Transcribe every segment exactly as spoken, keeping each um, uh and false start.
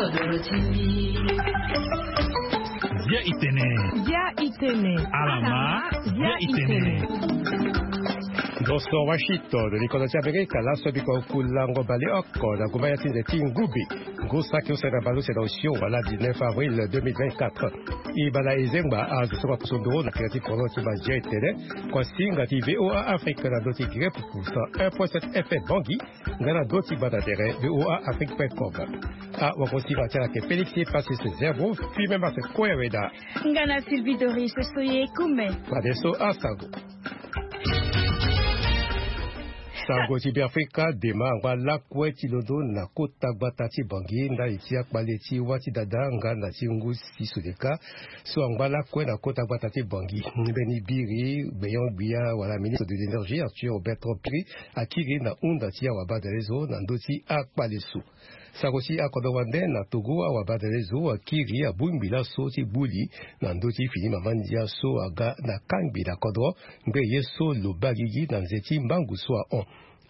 Bia itene. Bia itene. Alama. Bia itene. Ndo so Washington, likodo ti Amerika, laso biko kulango baleoko na gumba ya ti nze ti ngubi. Ngu saki use na baleuse na osio wala dix-neuf avril deux mille vingt-quatre. E bala e zengba azo so maposo nduru na kira ti koro ti bia itene. Kua singa ti VOA Afrique na ndo ti Guinée Puku cent un point sept F M Bangui. Nga na ndo ti gbata tere VOA Afrique point com. Awakosinga ti ala ayeke Félix Passis Zerbo, Firmin Martin Koyaweda. Nga na Sylvie Doris Soye Kume. Fadeso asango. Sango ti Beafrika, dema angba lakue ti londo na kota gbata ti Bangui ndali ti akpale ti wâ ti dada nga na ti ngu ti sodeka. So angba lakue na kota gbata ti Bangui, mbeni biri gbenyo-gbia wala ministre de l'énergie Arthur Bertrand Piri akiri na hunda ti awabadalezo na ndö ti akpale so. Sango ti akodro wande na Togo, awabadalezo akiri abongbi laso ti gbu li na ndö ti fini mama ndia so aga na kangbi na kodro ngbeye so lo baa gigi na nze ti mbangu so ahon.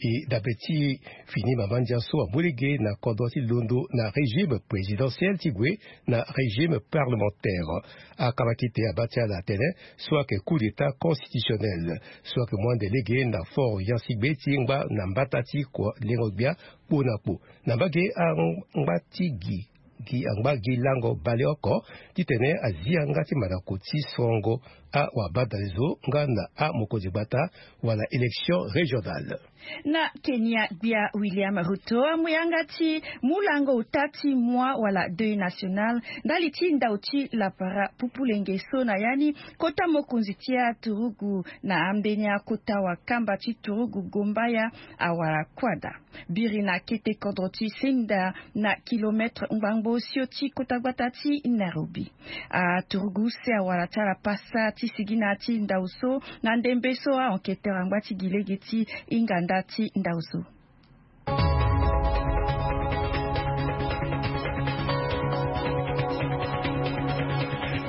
E dabe ti fini mama ndia so amu lege na kodro ti londo na régime présidentiel ti gue na régime parlementaire. Akabakite abaa ti ala atene so ayeke coup d'état constitutionnel so ayeke mu ande lege na fort yansigbe ti ngba na mbata ti kua lengo-gbia kpo na kpo. Na mbage angba ti gi gi angba gi lango baleoko titene azi yanga ti mandako ti sorongo awabadalezo nga na amokonzi gbata wala élection régionale. Na Kenya, gbia William Ruto amu yanga ti mu lango ota ti mois wala deuil national ndali ti ndau ti lapara pupulenge so na ya ni kota mokonzi ti aturugu na ambeni akota wakamba ti turugu Gombaya awara kuâ daa. Biri na kete kodro ti Senda na kilomètre ngbangbo osio ti kota gbata ti Nairobi. Aturugu use awara ti ala pasa ti sigi na ya ti ndau so na ndembe so a-enquêteur angba ti gi lege ti hinga nda ti ndau so.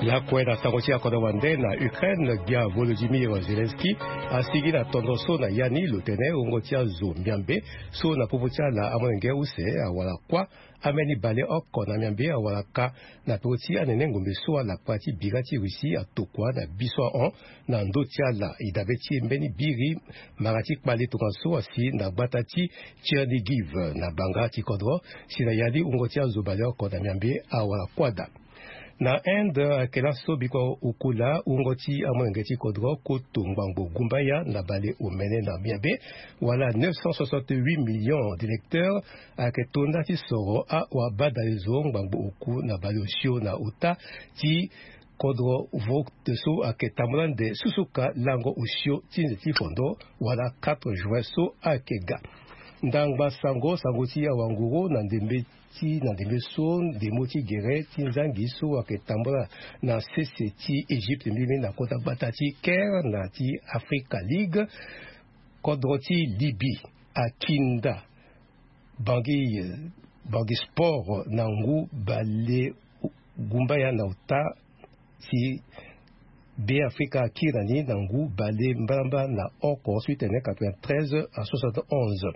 Lakue na sango ti akodro wande na Ukraine, gbia Volodymyr Zelensky asigi na tondo so na ya ni lo tene wungo ti azo miambe so na popo ti ala amolenge use awara kuâ. Ambeni baleoko na miambe awara ka na peko ti anene ngombe so alakpa ti bira ti Russie atokua na bi so ahon. Na ndö ti ala e dabe ti e mbeni biri mara ti kpale tongaso asi na gbata ti Chernigiv na banga ti kodro. Si na ya ni wungo ti azo baleoko na miambe awara kuâ daa. Na Inde ayeke laso biko okola wungo ti amolenge ti kodro koto ngbangbo gumbaya na bale omene na miambe wala neuf cent soixante-huit millions d'électeurs ayeke to nda ti soro awabadalezo ngbangbo oku na bale osio na ota ti kodro vote so ayeke tambula nde susuka lango osio ti nze ti fondo wala quatre juin so ayeke ga. Ndangba sango sango ti awanguru na ndembe ti na ndembe so ndemo ti gere ti nzangi so ayeke tambula na sese ti Egypte mbeni na kota gbata ti Caire na ti Africa League. Kodro ti Libye akinda bangi bangi sport na ngu bale gumbaya na ota ti Be Afrika akiri na ni na ngu bale mbalambala na oko so ti tene quatre-vingt-treize à soixante-onze.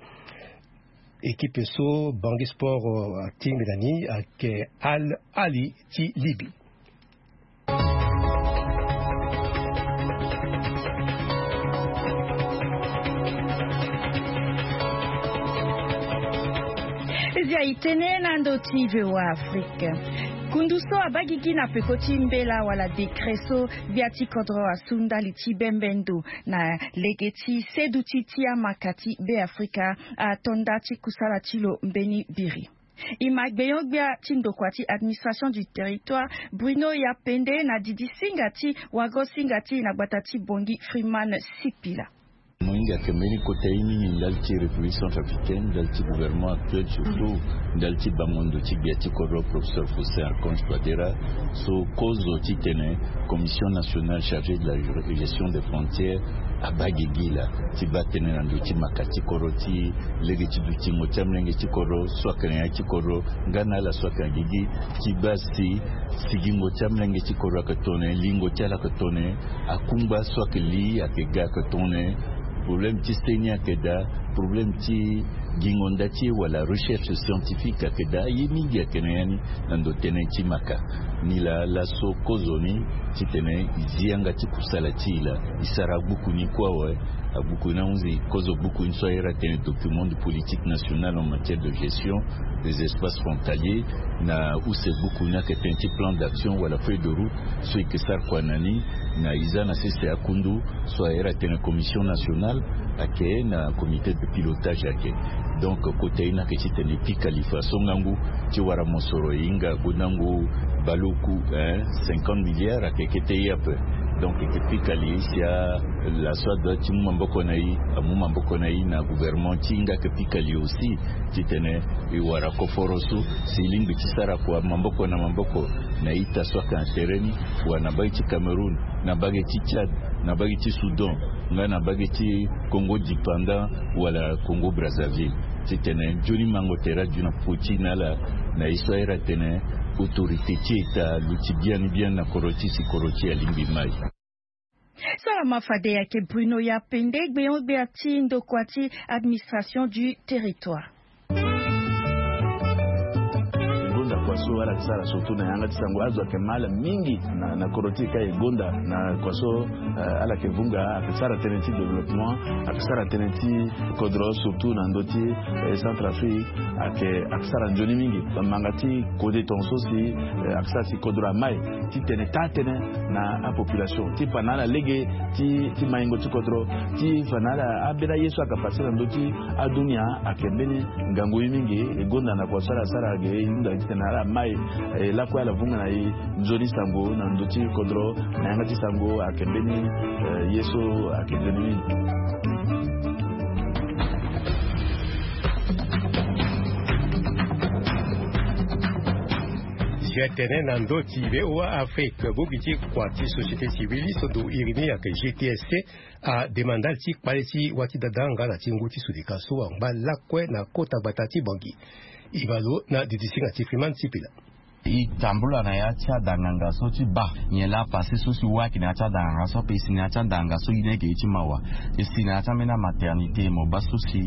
Équipe so bangi sport atingbi na ni ayeke Al Ahly ti Libye. Zia itene na ndo ti VOA Afrique. Kundu so abagigi na peko ti mbela wala décret so gbia ti kodro asu ndali ti bembe ndo na lege ti seduti ti amaka ti Be Afrika ato nda ti kusala ti lo mbeni biri. E ma gbenyo-gbia ti ndokua ti administration du territoire Bruno Yapende na didi singa ti wago singa ti e na gbata ti Bongi Freeman Sipila. Mohinga ayeke mbeni kota ye mingi ndali ti République centrafricaine, ndali ti gouvernement actuel, surtout ndali ti bango ndo ti gbia ti kodro professeur Faustin Archange Touadéra so kozo titene Commission nationale chargée de la gestion des frontières abaa gigi laa ti baa tënë na ndö ti maka ti kodro ti lege ti dutingo ti amolenge ti kodro so ayeke na ya ti kodro nga na ala so ayeke na gigi ti baa si sigingo ti amolenge ti kodro ayeke tongana nyen, lingo ti ala ayeke tongana nyen, akungba so ayeke li ayeke ga ayeke tongana nyen, problème ti seni ayeke daa, problème ti Gingo nda ti e wala recherche scientifique ayeke daa ye mingi ayeke na ya ni. Na ndo tënë ti maka ni laa laso kozo ni titene e zi yanga ti kusala ti e laa e sara agbuku ni kue awe. Agbuku ni ahunzi kozo gbuku ni so ayere atene document de politique nationale en matière de gestion des espaces frontaliers. Na use gbuku ni ayeke tënë ti plan d'action wala feuille de route so e yeke sara kua na ni. Na e za na sese akundu so ayere atene commission nationale ayeke na comité de pilotage ayeke. Donc kota ye ni ayeke titene e pika li faso ngangu ti wara mosoro e hinga gondango baleoku, hein, cinquante milliards ayeke kete ye ape. Donc e yeke pika li si a laso adoit ti mu maboko na e amu maboko na e na gouvernement ti e nga ayeke pika li aussi titene e wara koforo so si e lingbi ti sara kua maboko na maboko na ita so ayeke na tere ni, wala na mbage ti Cameroun, na mbage ti Tchad, na mbage ti Soudan, nga na mbage ti Congo dépendant wala Congo Brazzaville. Titene nzoni mango tere adu na popo ti e na ala na ye so ayere atene autorité ti État aluti biani biani na kodro ti e si kodro ti e alingbi mai. Salama fade ayeke Bruno Yapende, gbeon-gbia ti ndokua ti administration du territoire. Gonda kua so ala yeke sara surtout na yanga ti sango azo ayeke mal mingi na, na kodro ti e ka e gonda na kua so, eh, ala yeke vunga ayeke sara tënë ti développement, ayeke sara tënë ti kodro surtout na ndö ti, eh, Centrafrique ayeke, ayeke sara nzoni mingi. Manga ti kode tongaso si, eh, ayeke sara si kodro amai titene taa tënë na apopulation ti fa na ala lege ti, ti maingo ti kodro, ti fa na ala ambeni aye so ayeke pase na ndö ti adunia ayeke mbeni ngangu ye mingi. E gonda na kua so ala sara ge e hunda titene ala mai, eh, lakue ala vunga na e nzoni sango na ndö ti kodro na yanga ti sango ayeke mbeni, eh, ye so ayeke nzoni mingi. Si atene na ndö ti V O A Afrique, bongbi ti kua ti société civile so ndo iri ni ayeke G T S C, ademande ala ti kpale ti wâ ti dada nga na ti ngu ti sodeka so angba lakue na kota gbata ti Bangui. E baa lo na didisinga ti Freeman Sipila. E tambula na ya ti adanganga so ti baa nyen laa pase so si wâ ayeke na ya ti adanganga so ape. E si na ya ti adanganga so ye ni ayeke ye ti mawa. E si na ya ti ambeni amaternité mo baa so si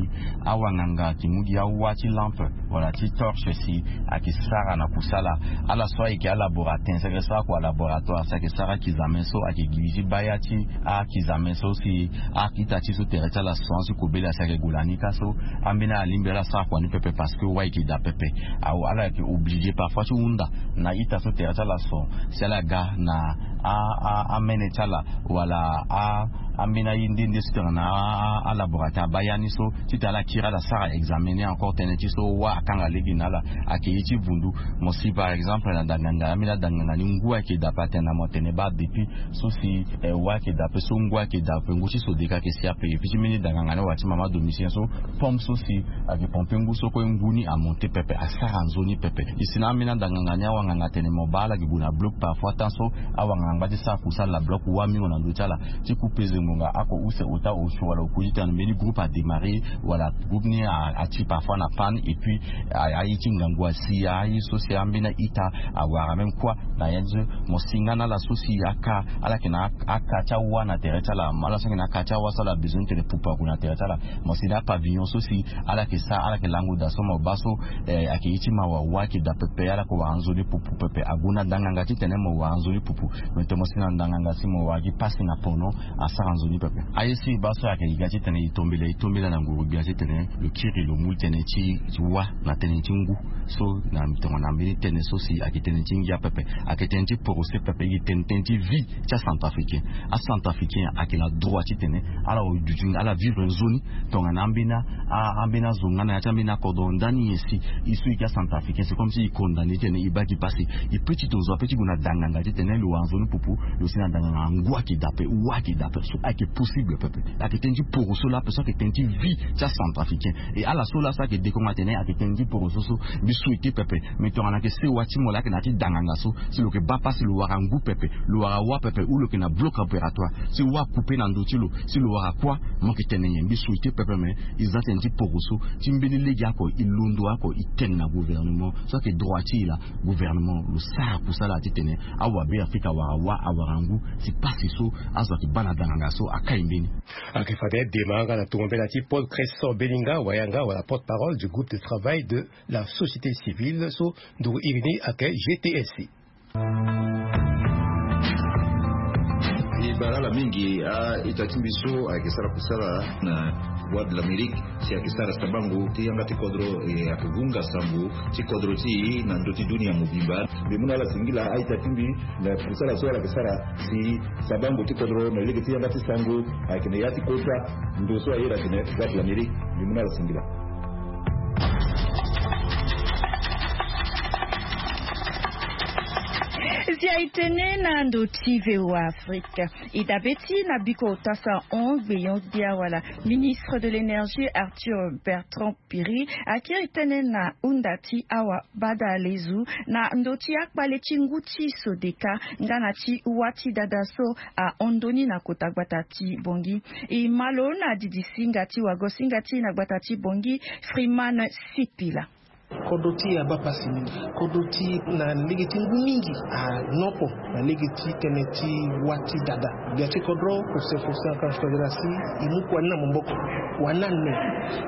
awanganga ayeke mu gi awâ ti lampe wala ti torche si ayeke sara na kusala. Ala so ayeke alaboratin si ayeke sara kua laboratoire si ayeke sara akizame so ayeke gi li ti baa ya ti akizame so si a-ita ti so tere ti ala son si kobela si ayeke gue na ni ka so. Ambeni alingbi ala sara kua ni pepe parce que wâ ayeke daa pepe. Awe ala yeke obligé parfois ti hunda na ita so tere ti ala son si ala ga na a, a, amene ti ala wala a, ambeni aye nde nde so tongana a, a, alaborateur abaa ya ni so titene ala kiri ala sara examen ni encore tënë ti so wâ akanga lege na ala. Ayeke ye ti vundu. Mo si par exemple na danganga, ambeni adanganga ni ngu ayeke daa pe atene na mo atene baa depuis so si, eh, wâ ayeke daa pe so ngu ayeke daa pe ngu ti sodeka ayeke si ape. Et puis ti mbeni danganga ni wala ti mama domiticien so pompe so si ayeke pompe ngu so kue ngu ni amonte pepe, asara nzoni pepe. E si na ambeni adanganga ni awanganga atene mo baa ala yeke gue na bloc parfois temps so awanganga angba ti sara kusala na bloc wâ mingo na ndö ti ala ti ku peze ngbonga ako use ota osio wala okui ti tene mbeni groupe adémarré wala groupe ni a, ati parfois na panne et puis a, aye ti ngangu asi aye so si ambeni a-ita awara même kua na ya ni so. Mo si nga na ala so si aka ala yeke na aka ti awâ na tere ti ala, ala so ayeke na aka ti awâ so ala besoin ti tene pupu ague na tere ti ala. Mo si na apavillon so si ala yeke sara, ala yeke lango daa so mo baa so, eh, ayeke ye ti mawa, wâ ayeke daa pepe, ala yeke wara nzoni pupu pepe. Ague na ndanganga titene mo wara nzoni pupu. Me tongana mo si na ndanganga si mo wara gi pasi na pono, asara nzoni pepe. Aye so e baa so ayeke e ga titene e tombela, e tombela na nguru-gbia titene lo kiri lo mu tënë ti wâ na tënë ti ngu. So na tongana mbeni tënë so si ayeke tënë ti ngia pepe, ayeke tënë ti porosé pepe, e yeke tene tënë ti vie ti acentrafricain. Acentrafricain ayeke na droit titene ala duti, ala vivre nzoni tongana ambeni a, ambeni azo nga na ya ti ambeni akodro ndani nyen si e so e yeke acentrafricain, c'est comme si e condamné titene e baa gi pasi. E peut ti tonzo ape ti gue na danganga titene lo wara nzoni pupu, lo si na danganga ngu ayeke daa ape, wâ ayeke daa ape. So ayeke possible pepe. Ayeke tënë ti poroso laa ape, so ayeke tënë ti vie ti acentrafricain. E ala so laa so ayeke dekongo atene ayeke tënë ti poroso so mbi souhaité pepe. Me tongana ayeke sewa ti mo laa ayeke na ya ti danganga so, si lo yeke baa pasi lo wara ngu pepe, lo wara wâ pepe, ou lo yeke na bloc opératoire, si wâ akoupe na ndö ti lo, si lo wara kuâ, mo yeke tene nyen? Mbi souhaité pepe, me e za tënë ti poroso ti mbeni lege oko, e londo oko, e tene na gouvernement. So ayeke droit ti e laa, gouvernement lo sara kusala titene awabe Afrika awara wâ, awara ngu, si pasi so azo ayeke baa na danganga So akai mbeni. Ake fade dema nga na tongo mbela ti Paul Cresson Belinga, wayanga wala porte-parole du groupe de travail de la société civile so nduru irini ake G T S C. E bara ala mingi a ita ti mbi so ayeke sara kusala na Voix de l'Amérique, si ayeke sara sabango ti yanga ti kodro, e ayeke vunga sango ti kodro ti e na ndö ti dunia mobimba. Mbi mu na ala singila a ita ti mbi na kusala so ala yeke sara si sabango ti kodro na lege ti yanga ti sango ayeke na ya ti kota ndo so aye na tene Voix de l'Amérique. Mbi mu na ala singila. Si aye tënë na ndo ti V O A Afrique. E dabe ti na biko ota sahon gbeyon gbia wala ministre de l'énergie Arthur Bertrand Piri akiri tënë na hunda ti awa bada lezu na ndo ti akpale ti ngu ti Sodeka nga na ti wâ ti dada so ahon ndoni na kota gbata ti Bangui. E ma lo na didi singa ti wago singa ti na gbata ti Bangui, Freeman Sipila. Kodro ti e abaa pasi mingi. Kodro ti e na lege ti ngu mingi anopo na lege ti tënë ti wâ ti dada. Gbia ti kodro, Faustin Archange Touadéra si e mu kua ni na maboko, kua ni ane.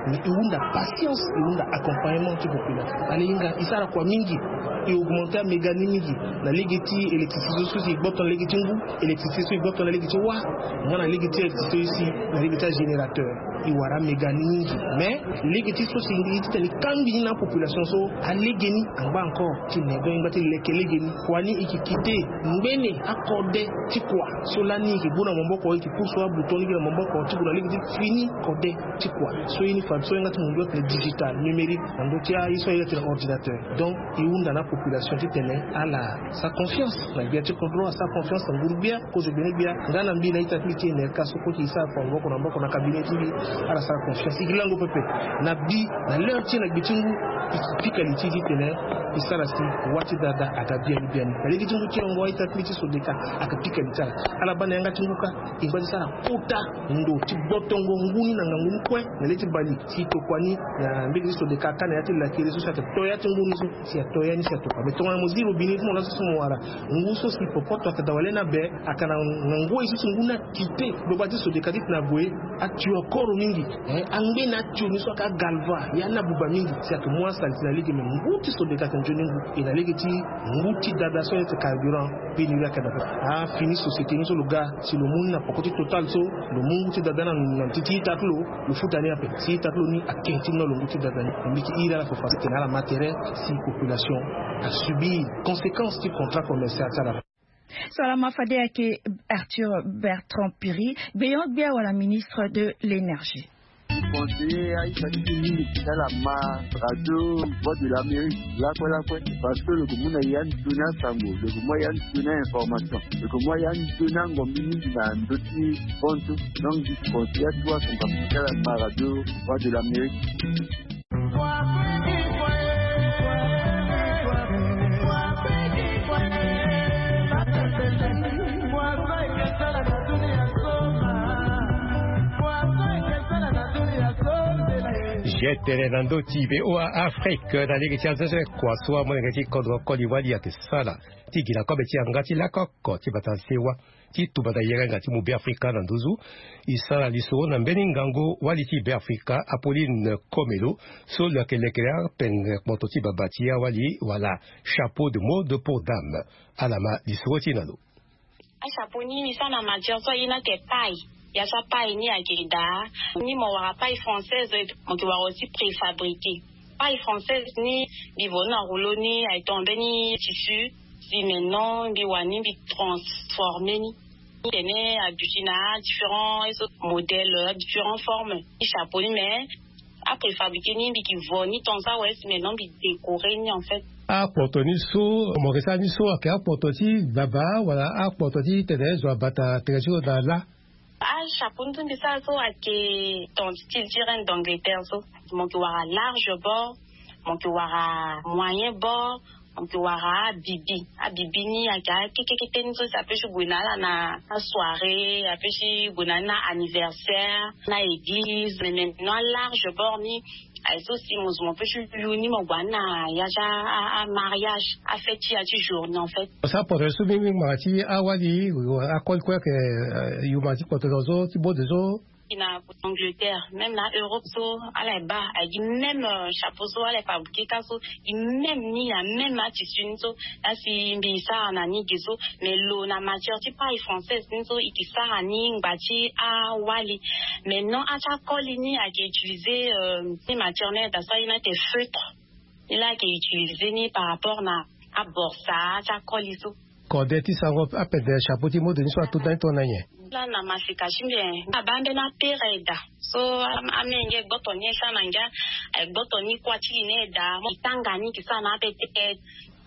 Mais e hunda patience, e hunda accompagnement ti population. Ala hinga e sara kua mingi, e augmenter améga ni mingi na lege ti électricité so si e gboto na lege ti ngu, électricité so e gboto na lege ti wâ, nga na lege ti électricité so si na lege ti agénérateur. E wara améga ni mingi. Mais lege ti so si e titene e kangbi ni na apopulation so, alege ni angba encore ti ne. Donc e ngba ti leke lege ni. Kua ni e yeke kite ngbene akode ti kua so lani e yeke bu na maboko, e yeke pusu abouton ni gi na maboko ti gue na lege ti fini kode ti kua. So ye ni fade so e yanga ti mundu atene digital, numérique, na ndö ti aye so aye atene ordinateur. Donc e hunda na apopulation titene ala sara confiance na gbia ti kodro, asara confiance na nguru gbia, kozo gbene gbia. Nga na mbi na ita ti mbi ti E N R K so kue ti e sara kua maboko na maboko na cabinet ti mbi, ala sara confiance. E yeke lango pepe na bi na l'heure ti e na gbe ti ngu, e yeke pika li ti e titene e sara si wâ ti dada aga biani biani. Na lege ti ngu ti yongo a ita ti mbi ti Sodeka ayeke pika li ti ala. Ala baa na yanga ti ngu kâ, e ngba ti sara kota ndo ti gbotongo ngu ni na ngangu ni kue na le ti bale, si e tokua ni na mbege ti Sodeka akâ na ya ti lakere so si ayeke to ya ti ngu ni so, si ato ya ni si atokua. Mais tongana mo zi robinet ti mo laso si mo wara ngu so si popoto ayeke daa wala ni abe, ayeke na ngoi so si ngu ni akite. Gbagba ti Sodeka titene ague, atio akoro mingi. Eh, angbeni atio ni so ayeke agalva, ya ni abuba mingi. Si ayeke mu asalite na lege, me ngu ti Sodeka ayeke nzoni ngu. E na lege ti ngu ti dada so ayeke carburant, pénurie ayeke daa. Afini société ni so lo ga, si lo mu ni na poko ti Total so, lo mu ngu ti dada ni na, na ti, ti ita ti lo, lo futa ni ape. Si ita ti lo ni ayeke ti ni na lo ngu ti dada ni. Mbi yeke iri ala fo fa titene ala ma tere si population asubir conséquence ti contrat commercial ti ala. So ala ma fade ayeke Arthur Bertrand Piri, gbeyon gbia wala ministre de l'énergie. Conseiller aita ti mbi mingi ti ala ma radio Voix de l'Amérique lakue lakue, parce que lo yeke mu na ya ni doni asango, lo yeke mu ya ni doni information, lo yeke mu ya ni doni angombi mingi na ndö ti bonso. Donc mbi conseiller atuwa son kapa ti ala ma radio Voix de l'Amérique. Zi tene na ndö ti V O A Afrique na lege ti azo so kua so amolenge ti kodro koli wali ayeke sala ti gi na kobe ti yanga ti lakoko ti bata sewa ti tumba na yere nga ti mu Beafrika na nduzu. E sara lisoro na mbeni ngangu wali ti Beafrika, Apolline Komelo, so lo yeke lekere apengere kpoto ti baba ti awali wala chapeau de mode pour dame. Ala ma lisoro ti e na lo. Achapeau ni, mi sara na matière so aye ni ayeke paille. Ya so apaille ni ayeke daa ni, mo wara paille française, mo yeke wara aussi préfabriqué. Paille française ni, mbi vo ni na rouleau ni, ayeke tongana mbeni tissu. Si maintenant mbi wara ni, mbi transformer ni. Tene aduti na différents modèles, différentes formes ti chapeau ni, mais apréfabriqué ni, mbi yeke vo ni tant ça, ouais, si maintenant mbi décorer ni, en fait. Akpoto ni so mo yeke sara ni so ayeke akpoto ti baba wala akpoto ti tene zo abata tere ti lo na lâ? Achapeau ni so mbi sara so ayeke tant ti ti reine d'Angleterre so. Mo yeke wara large bord, mo yeke wara moyen bord, mo yeke wara abibi. Abibi ni ayeke akekekete ni so si apeut ti gue na ala na asoirée, apeut ti gue na ala na anniversaire, na église. Mais maintenant large bord ni, Aye so si mo zo mo pe ti lu ni mo gue na ya ti amariage, afête ti ya ti journée en fait. Sa porte so mingi mingi ngbanga ti awali akoli kue ayeke yu ngbanga ti kpoto zo ti bode so. Gi na Angleterre, même na Europe so ala ye baa, aye gi même chapeau so ala ye fabriquer ka so, gi même ni na même atissu ni so. Laa si mbi sara na ni ge so. Mais lo na matière ti paille française ni so e ke sara ni ngba ti awali. Maintenant ati akoli ni ayeke utiliser ni matière ni aye daa so aye ni ayeke feutre. Ni laa ayeke utiliser ni par rapport na aborsa ti akoli so. Kode ti sango apede chapeau ti mode ni so ato ndani tongana nyen? Laa na maseka ti mbi abaa mbeni apere aye daa. So amenge gboto ni e sara na ngia, aye gboto ni kuâ ti li ni aye daa mo e tanga ni e ke sara na apete.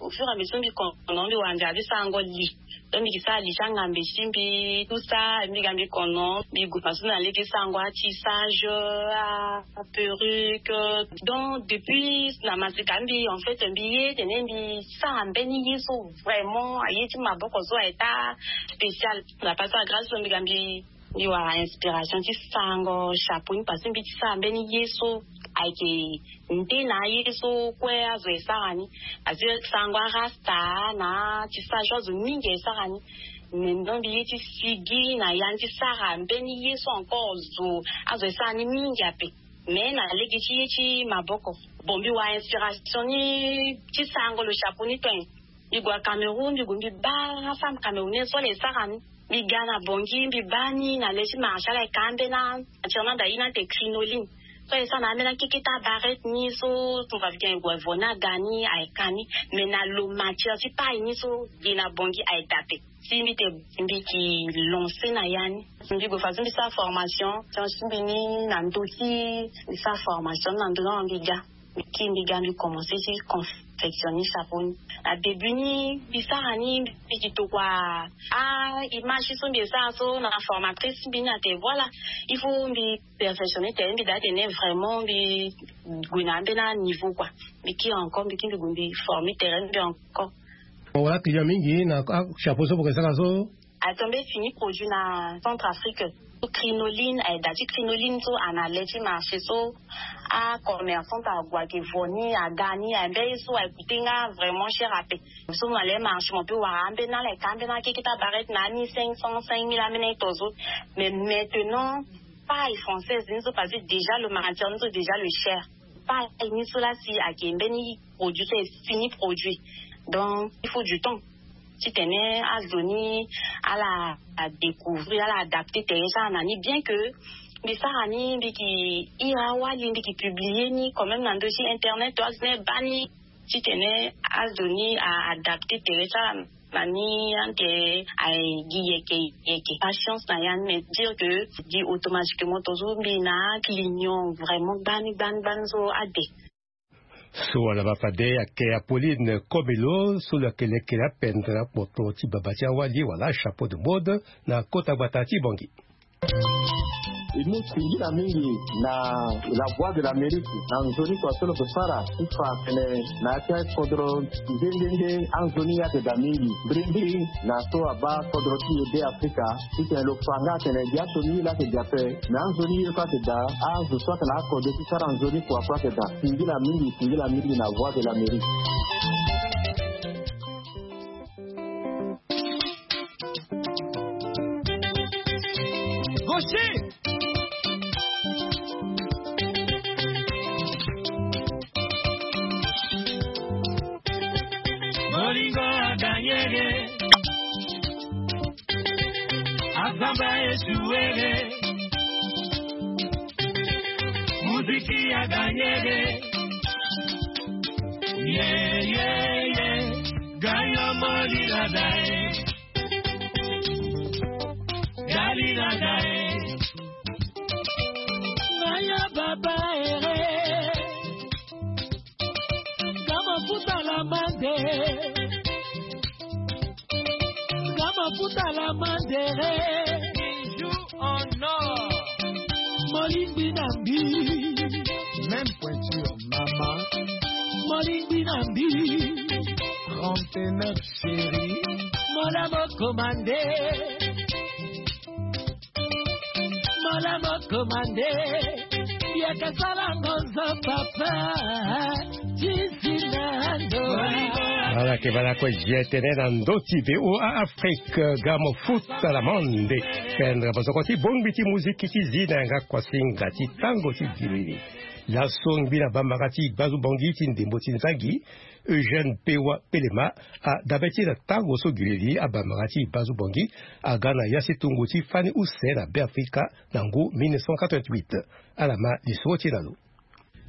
Au fur et à mesure mbi kono mbi wara nzara ti sarango li. Donc mbi ke sara li ti angambe ti mbi tout ça, mbi ga mbi kono mbi gue façon na lege sarango atissage, aperruque. Donc depuis na maseka mbi en fait mbi ye tene mbi sara mbeni ye so vraiment aye ti maboko so aye ta spécial. Na pasa grâce so mbi ga mbi mbi wara inspiration ti sarango chapeau ni parce que mbi ti sara mbeni ye so ayeke nde na aye so kue azo e sara ni. Parce que sarango arasta na tissage azo mingi aye sara ni. Mais donc mbi ye ti sigi na ya ni ti sara mbeni ye so encore zo azo e sara ni mingi ape. Mais na lege ti ye ti maboko. Bon mbi wara inspiration ni ti sarango lo chapeau ni tene. Mbi gue na Cameroun mbi gue mbi baa femme camerounaise so ala e sara ni. Mbi ga na Bangui mbi baa ni na le ti marché ala ye ka ambeni matière ni anda ye ni ate crinoline. So aye sara na ambeni akeke ti abarete ni so tongana mbi ga aye gue vo ni aga ni aye ka ni. Mais na lo matière ti paille ni so ge na Bangui aye daa ape. Si mbi te mbi ke lancer na ya ni. Mbi gue façon mbi sara formation ti mbi ni na ndö ti mbi sara formation ni na ndö ni mbi ga. Mbi kiri mbi ga mbi commencer ti confectionner chapeau ni. Na début ni mbi sara ni mbi ke tokua a image ti so mbi e sara so na formatrice ti mbi ni ate voilà il faut mbi perfectionner tere mbi daa tene vraiment mbi gue na ambeni aniveau kua. Mbi kiri encore mbi kiri mbi gue mbi former tere mbi encore. Mo wara client mingi na achapeau so mo ke sara so? Atombe fini produit na Centrafrique. Crinoline aye daa ti crinoline so ana le ti marché so. Acommerçante ague ayeke vo ni aga ni aye mbeni ye so aye coûter nga vraiment cher ape. So mo na le marché mo pe wara ambeni ala ye ka ambeni akeke ti abarete na ani cinq cents cinq mille ambeni aye to so. Mais maintenant paille française ni so parce que déjà le matière ni so déjà le cher. Paille ni so laa si ayeke mbeni produit so e fini produit. Donc il faut du temps titene azo ni ala découvrir ala adapter tere ti ala na ni bien que mbi sara ni mbi ke iri awali mbi ke publier ni quand même na ndö ti internet to azo ni e baa ni titene azo ni a adapter tere ti ala na ni ante aye gi yeke yeke patience na ya ni mais dire que gi automatiquement to so mbi na aclinion vraiment gbani gbani gbani so ade. So wala mafade ayeke Apolline Komelo so lo yeke lekere apendre akpoto ti baba ti awali wala chapeau de mode na kota gbata ti Bangui. E mu singila mingi na La Voix de l'Amérique na nzoni kua so lo ke sara ti fa atene na ya ti akodro nde nde nde anzoni ayeke daa mingi. Mbrimbri na so abaa kodro ti e be Afrika titene lo fa nga atene gi aso ni ye laa ayeke daa ape. Me anzoni ye kue ayeke daa azo so ayeke na akode ti sara nzoni kua kue ayeke daa. Singila mingi singila mingi na Voix de l'Amérique. Gaucher. Bolingo aganyege. Azamba esuwege. Muziki aganyege. Ye ye ye. Gayo molila dae. Dalila dae. Ngaya baba ere. Gama futa la mande. Gama futa la mandere. Bijou en or. Molingbi na mbi. Même pointure, maman. Molingbi na mbi. Trente-neuf chérie. Mola mo commandé. Mola mo commandé. Yeke sara ngozo papa, tisi na ndo. Ala ke bala kue je tene na ndo ti be o a Afrique, gamo futa la monde. Pendre bozoko ti bongbi ti muziki ti zi na yanga kuasinga ti tango ti dilili. Laso ngbi na bambaka ti gbazu bongi ti ndembo ti nzangi, Eugène Pewa Pelema, adabe ti na tango so gileli abambaka ti gbazu bongi aga na ya si tungu ti fani use na Beafrika na ngu mille neuf cent quatre-vingt-huit. Ala ma lisoro ti na lo.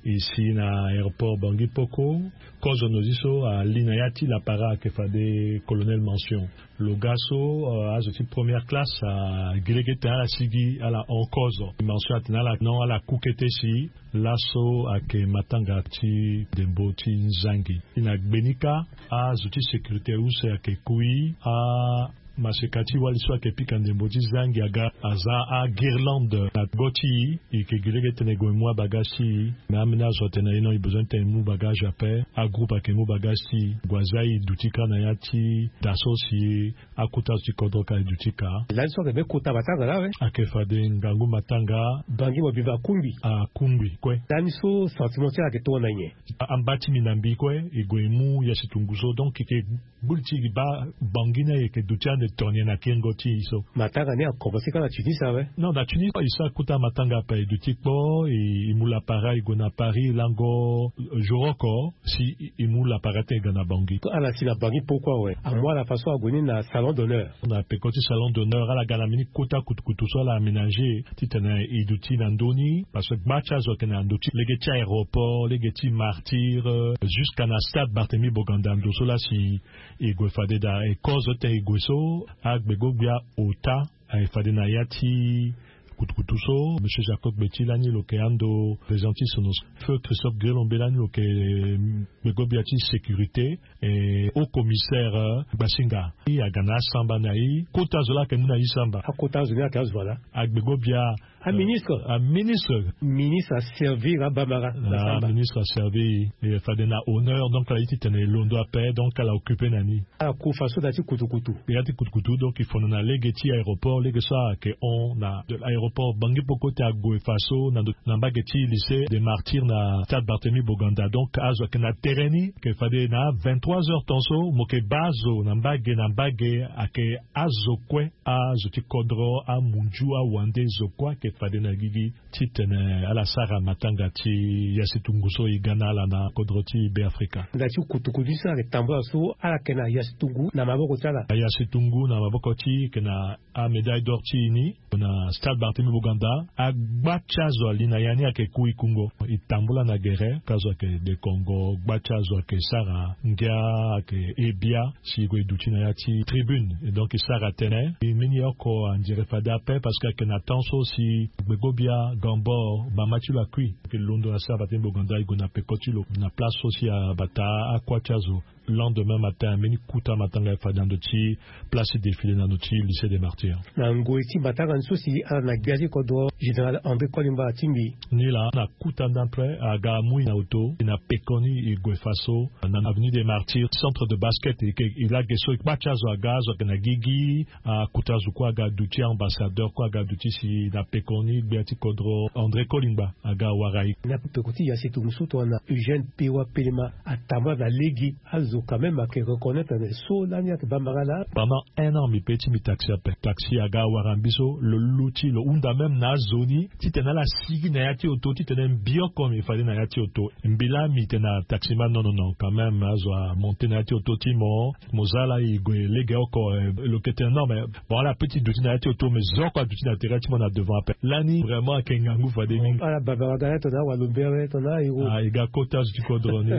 E si na aéroport Bangui Poko, kozo nozi so ali na ya ti lapara ayeke fade colonel Mention. Lo ga so, euh, azo ti première classe, ah, gi lege tene ala sigi ala hon kozo. Mention atene ala non, ala ku kete si laso ayeke matanga ti ndembo ti nzangi. Si na gbe ni kâ, azo ti sécurité use ayeke kui, ah, maseka ti wali so ayeke pika ndembo ti zangi aga aza aguirlande na go ti e. E yeke gi lege tene e gue e mu abagage ti e. Me ambeni azo atene na e non, e besoin ti tene e mu bagage ape. Agroupe ayeke mu bagage ti e, gue aza e duti kâ na ya ti da so si akota azo ti kodro ka e duti kâ. Lani so ayeke be kota matanga laa awe. Ayeke fade ngangu matanga. Bangi mo biba akungbi. Akungbi kue. Lani so sentiment ti ala ayeke tongana nyen? A, amba ti mbi na mbi kue, e gue e mu ya si tungu so. Donc e yeke Gbu li ti e gi baa Bangui ni ayeke duti ande tonye na kengo ti e so. Matanga ni akomanse kâ na Tunis awe? Non, na Tunis e so akota matanga ape, e duti kpo, e, e mu lapara e gue na Paris, e lango jour oko si e, e mu lapara ti e ga na Bangui. Ala si na Bangui poko awe, amu ala façon ague ni na salon d'honneur. Na peko ti salon d'honneur ala ga na mbeni kota kutukutu so ala aménager titene e duti na ndö ni, parce que gba ti azo ayeke na ndö ti lege ti aéroport, lege ti Martyrs, euh, jusqu'à na stade Barthélemy Boganda, ndo so laa si e gue fade daa, e kozo ti tene e gue so, agbegogbia ota aye fade na ya ti kutukutu so. Monsieur Jacob Beti lani lo yeke ando président ti sono, feu Christophe Guélombe lani lo yeke, euh, gbegogbia ti sécurité, eh, haut commissaire, euh, Gbasinga. E aga na asamba na e. Kota zo laa ayeke mu na e samba. Akota zo ni ayeke azo ala? Agbegogbia. Aministre. Aministre. Ministre aservir abamara na samba. Ministre aservir e fade na honneur, donc ala ye titene e londo ape, donc ala occupe na ni. Ala ku faso na ya ti kutukutu. Ya ti kutukutu, donc e fono na lege ti aéroport, lege so ayeke hon na aéroport Bangui Poko ti ague faso na ndo, na mbage ti lycée des Martyrs na stade Barthélemy Boganda. Donc azo ayeke na tere ni, ayeke fade na vingt-trois heures temps so mo yeke baa azo na mbage na mbage, ayeke azo kue, azo ti kodro, amunzu, awande, zo kue ayeke fade na gigi titene ala sara matanga ti ya si tungu so e ga na ala na kodro ti Beafrika. Na ya ti kutukutu so ala yeke tambula so, ala yeke na ya si tungu na maboko ti ala? Ya si tungu na maboko ti e yeke na amédaille d'or ti e ni na stade Barthélemy Boganda. Agba ti azo ali na ya ni ayeke ku e kungo. E tambula na gere, ka azo ayeke dekongo, gba ti azo ayeke sara ngia, ayeke he bia si e gue e duti na ya ti tribune. Et donc e sara tënë, e mbeni oko andire fade ape, parce que ayeke na temps so si gbegogbia Gambor mama ti lo akui. Ayeke londo na stade Barthélemy Boganda, e gue na peko ti lo na place so si abata akua ti azo. Lendemain matin, mbeni kota matanga ayeke fade na ndo ti place ti défilé na ndo ti lycée des Martyrs. Na ngoi ti matanga ni so si ala na gbia ti kodro, général André Kolimba atingbi. Ni laa na kota ni après aga amui na oto, e na pekoni e gue faso na avenue des Martyrs, centre de basket. E ke, e lage so e kpa ti azo aga, azo ayeke na gigi, akota zo kue aga duti, ambassadeur kue aga duti si na pekoni gbia ti kodro André Kolimba aga awara e. Na peko ti ya si tungu so tongana Eugène Pewa Pelema atambula na lege, azo quand même ayeke reconnaître na so lani ayeke bambara laa. Pendant un an mbi pe ti mbi taxi ape. Taxi aga awara mbi so, lo luti, lo hunda même na azo ni titene ala sigi na ya ti oto, titene mbi oko mbi fade na ya ti oto. Mbi laa mbi tene na taximan non, non, non, quand même azo amonte na ya ti oto ti mo, mo za laa e gue lege oko, eh, lo yeke tene non, mais bon, ala pe ti duti na ya ti oto, mais zo oko aduti na tere ti mo na devant ape. Lani vraiment ayeke ngangu fade mingi. Ala bambara ga na tongana awalo mbere tongana airo. Ah, e ga kota azo ti kodro ni.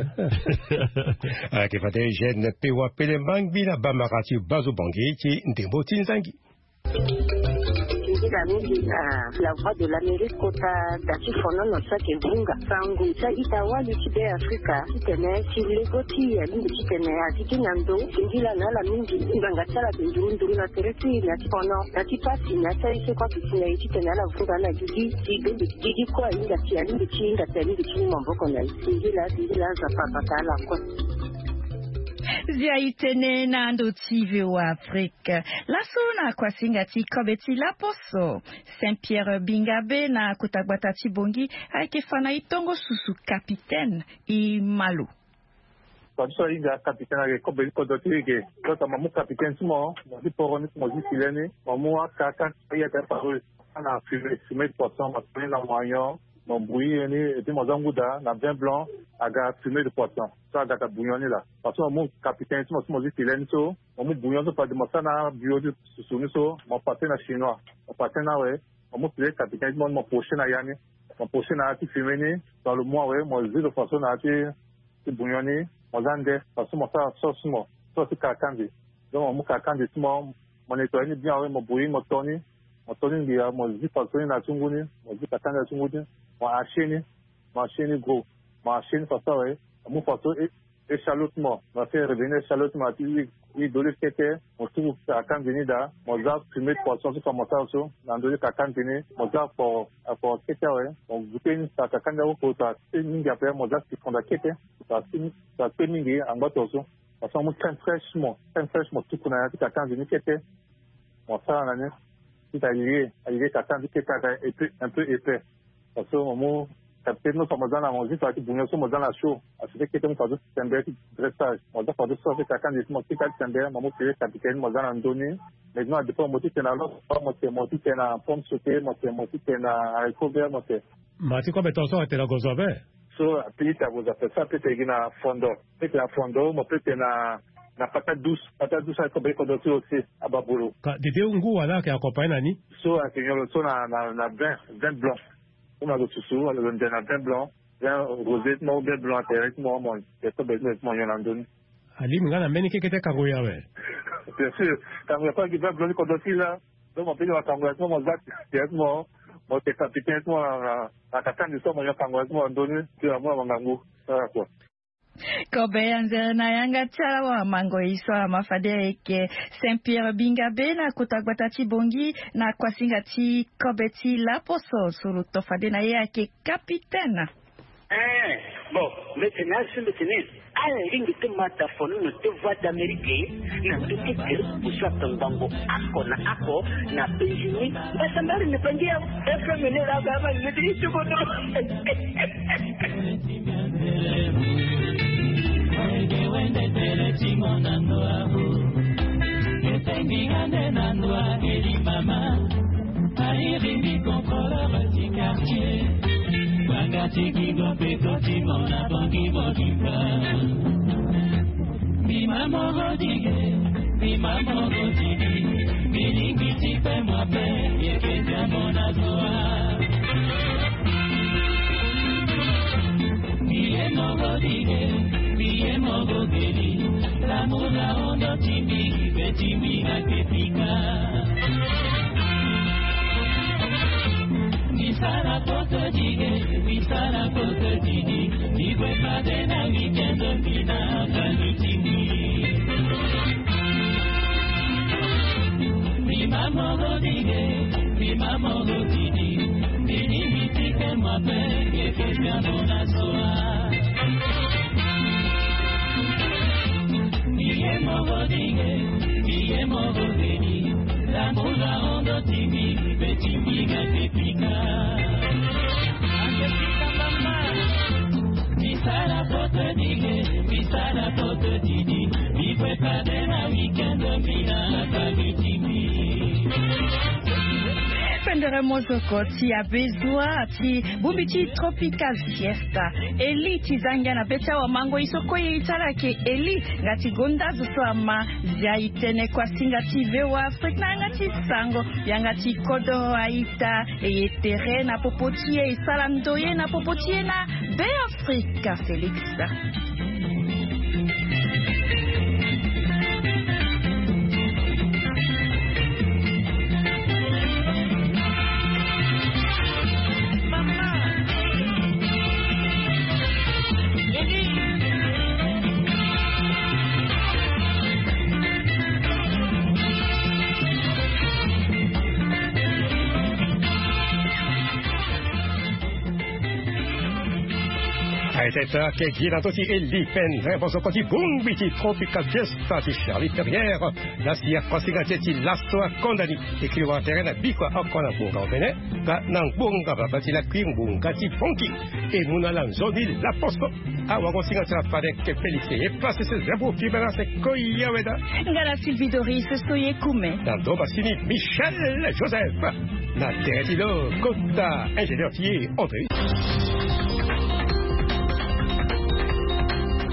Ayeke fade Eugène Pewa Pelema ngbi na bambara ti gbazo bongi ti ndembo ti nzangi. Nzila mingi na La Voix de l'Amérique kota da ti fonono so ayeke vunga sango ti a-ita wali ti Beafrika titene ti lego ti e alingbi titene a sigi na ndo. Singila na ala mingi ti ngbanga ti ala ayeke nduru nduru na tere ti e na ya ti fono, na ya ti pasi, na ya ti aye so kue aduti na e titene ala vunga ala gigi ti bembe gigi kue ahinga ti, alingbi ti hinga ti, alingbi ti mu maboko na e. Singila, singila, Nzapa abata ala kue. Zia itene na ndo ti V O A Afrique. Laso na kuasinga ti kobe ti laposo, Saint Pierre Bingabe na kota gbata ti Bongi ayeke fa na e tongo susu capitaine i malo. Kua ti so ahinga capitaine ayeke kobe ti kodro ti e ge. Kota mo mu capitaine ti mo, mo ti poro ni, mo ti file ni, mo mu akaka ti ye ate paro. Ana fumée, fumée de poisson, mo fumée na moignon, mo bouillir ni, et puis mo za nguda na vin blanc, aga fumée de poisson. So aga ta bouillon ni la. Parce que mo mu capitaine ti mo so mo zi filet ni so, mo mu bouillon so fade mo sa na bio ti susu ni so, mo passé na chinois. Mo passé na awe, mo mu filet capitaine ti mo, mo poché na ya ni. Mo poché na ya ti fumée ni, dans le mois awe, mo zi lo façon na ya ti ti bouillon ni, mo za nde, parce que mo sara sauce ti mo, sauce ti kakandi. Donc mo mu kakandi ti mo, mo nettoyer ni bien awe, mo bouillir, mo to ni, mo to ni ngia, mo zi façon ni na ti ngu ni, mo zi kakandi na ti ngu ni, mo haché ni, mo haché ni gros, mo haché ni façon awe, mo mu façon é-, échalote ti mo, mo fait revenir échalote ti mo na ti huile, huile d'olive kete, mo tuku kakandi ni daa, mo za fumée de poisson so fa mo sara so na ndö ti kakandi ni, mo za foro, foro kete awe, mo goûter ni, sa kakandi awe, ko sa kpe mingi ape, mo za citron daa kete. Sa kpe, sa kpe mingi angba to so. Parce que mo mu crème fraîche mo, crème fraîche mo tuku na ya ti kakandi ni kete. Mo sara na ni. Ti ta lié, alié kakandi kete aga un peu, un peu épais. Parce que mo mu capitaine ni so mo za na mo zi fa ti bouillon so mo za na chaud. Acheté kete mo fa ti sembe ti dressage. Mo za fa ti sauce kakandi ti mo kete ti sembe, mo mu filet capitaine mo za na ndö ni. Maintenant, dépend mo ti tene na lo, mo tene, mo ti tene na pomme sautée, mo tene, mo ti tene na haricot vert, mo tene. Ma ti kobe to so atene na gozo ape. So, ape ti agozo ape, so ape ti gi na fondo. Ape ti na fondo, mo ape ti na, na patate douce. Patate douce aye kobe kodro ti aussi, ababolo. Ka dede ngu wala ayeke accompagné na ni? So ayeke nyon lo so na, na, na vin, vin blanc. So mo yeke susu, alo lo nze na vin blanc. Vin rosé ti mo, vin blanc atene ti mo, mo yeke kobe ti mo, mo nyon na ndö ni. Alingbi nga na mbeni keke ti akango ye awe. Bien sûr, kango ye kue ayeke vin blanc ti kodro ti la. Donc mo peut ti wa kango ya ti mo, mo za ti ya ti mo, mo yeke capitaine ti mo na, na, na kakandi so mo yeke kango ya ti mo na ndö ni, ti amu na mo ngangu. Sara kua. Kobe anzere na yanga ti ala wa mango ye so ama fade ayeke Saint Pierre Bingabe na kota gbata ti Bongi na kuasinga ti kobe ti laposo so lo to fade na ye ayeke capitaine. Eh, bon, mbi tene asi mbi tene. Ala lingbi ti ma ta fono na ti Voix d'Amérique na ndö ti Keribu so atongbango oko na oko na Benjini. Mbasambari ni pangi ya F M ni la ga ma ni ti ti kono. Eke wende tele ti mo na ndo abu. Eke mbinga nde na ndo abeli mama. Airi mbi contrôleur ti quartier. Banga ti kingo mpe koti mo na bangi mobimba. Mbi ma moro dige, mbi ma moro dige. Mbi lingbi ti pe mo ape, yeke tia mo na zoa. Mbi ye moro dige, mbi ye moro geli. L'amour la ondo ti mbi, pe ti mbi na ke pika. Mbi sara poto dige, mbi sara poto dige. Mbi gue fade na weekend, mbi na famille ti mbi. Mbi ma moro dige, mbi ma moro dige. Mbi ni mbi ti ke mo ape, yeke tia mo na zoa. Mbi ye moro dige, mbi ye moro dige. L'amour la ondo ti mbi, pe ti mbi na ke pika. Mbi sara poto dige, mbi sara poto dige. Mbi gue fade na weekend, mbi na famille ti mbi. Pendere mozoko ti Abezua ti bongbi ti Tropical Fiesta. Eli ti zangia na be ti awamango ye so kue ye ti ala ayeke Eli nga ti gonda zo so ama. Zia itene kuasinga ti V O A Afrique na yanga ti sango, yanga ti kodro aita, e ye tere na popo ti e, e sara ndoye na popo ti e na Be Afrika Félix. Ete ake gi na ndö ti Eli Pendrin, bosoko ti bongbi ti Tropical Fiesta ti Charlie Ferrière. Na si akosinga ti e ti laso akonda ni, e kiri wara tere na bikua oko na ngbonga omene. Nga na ngbonga baba ti lakui ngbonga ti fonki. E mu na ala nzoni laposo. Awagosinga ti ala fade ke Félix e pase se zabo fibera se koya weda. Nga na Sylvie Doris so ye kume. Na ndo basini Michel Joseph. Na tere ti lo kota ingénieur ti e André.